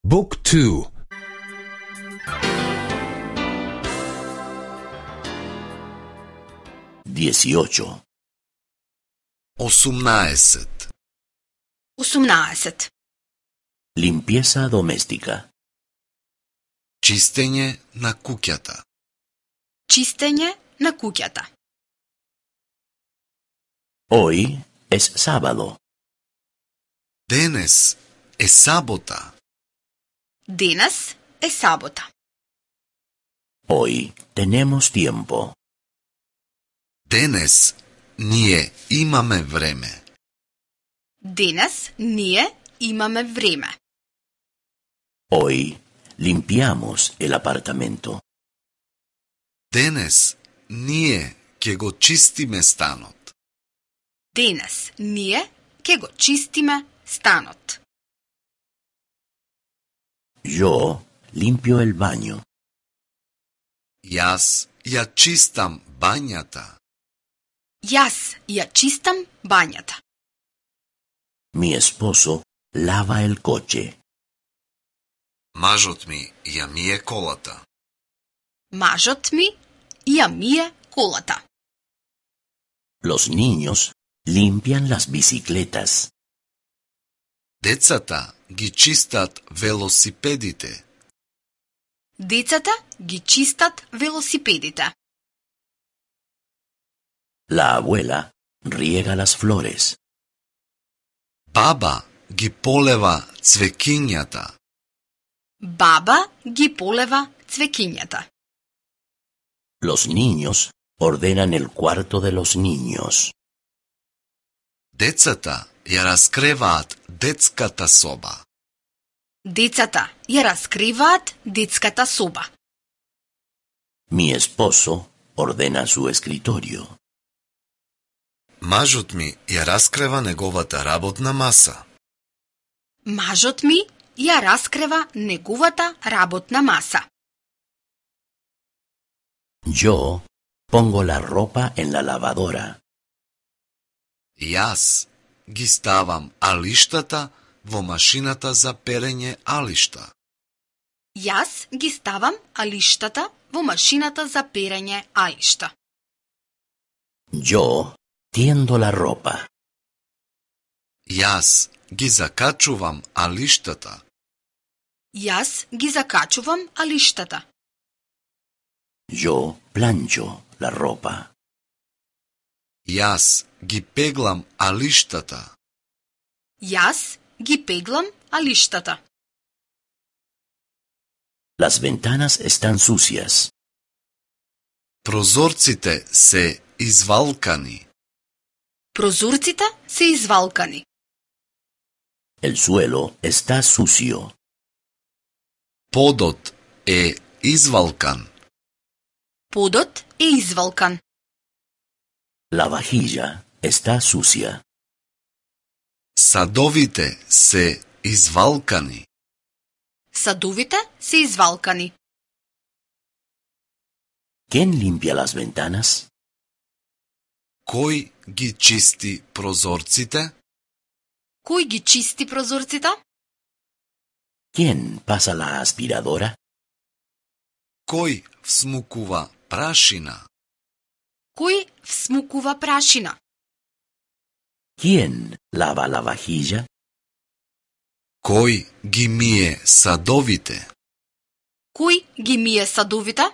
Book 2. 18. 18. 18. Limpieza doméstica. Чистење на куќата. Чистење на куќата. Hoy es sábado. Денес е сабота. Денес е сабота. Hoy tenemos tiempo. Денес ние имаме време. Денес ние имаме време. Hoy limpiamos el apartamento. Денес ние ќе го чистиме станот. Денес ние ќе го чистиме станот. Yo limpio el baño. Јас ја чистам бањата. Јас ја чистам бањата. Mi esposo lava el coche. Мажот ми ја мие колата. Мажот ми ја мие колата. Los niños limpian las bicicletas. Децата ги чистат велосипедите. Децата ги чистат велосипедите. La abuela riega las flores. Баба ги полева цвекињата. Баба ги полева цвекињата. Los niños ordenan el cuarto de los niños. Децата ја раскреваат детската соба. Децата ја раскриваат детската соба. Mi esposo ordena su escritorio. Мажот ми ја раскрева неговата работна маса. Мажот ми ја раскрива неговата работна маса. Yo pongo la ropa en la lavadora. Јас ги ставам алиштата во машината за перење алишта. Јас ги ставам алиштата во машината за перење алишта. Yo tiendo la ropa. Јас ги закачувам алиштата. Јас ги закачувам алиштата. Yo plancho la ropa. Јас ги пеглам алиштата. Јас ги пеглам алиштата. Las ventanas están sucias. Прозорците се извалкани. Прозорците се извалкани. El suelo está sucio. Подот е извалкан. Подот е извалкан. La vajilla está sucia. Садовите се извалкани. Садовите се извалкани. ¿Quién limpia las ventanas? Кој ги чисти прозорците? Кој ги чисти прозорците? ¿Quién pasa la aspiradora? Кој всмукува прашина? Кој всмукува прашина? ¿Quién lava la vajilla? Кој ги мие садовите? Кој ги мие садовите?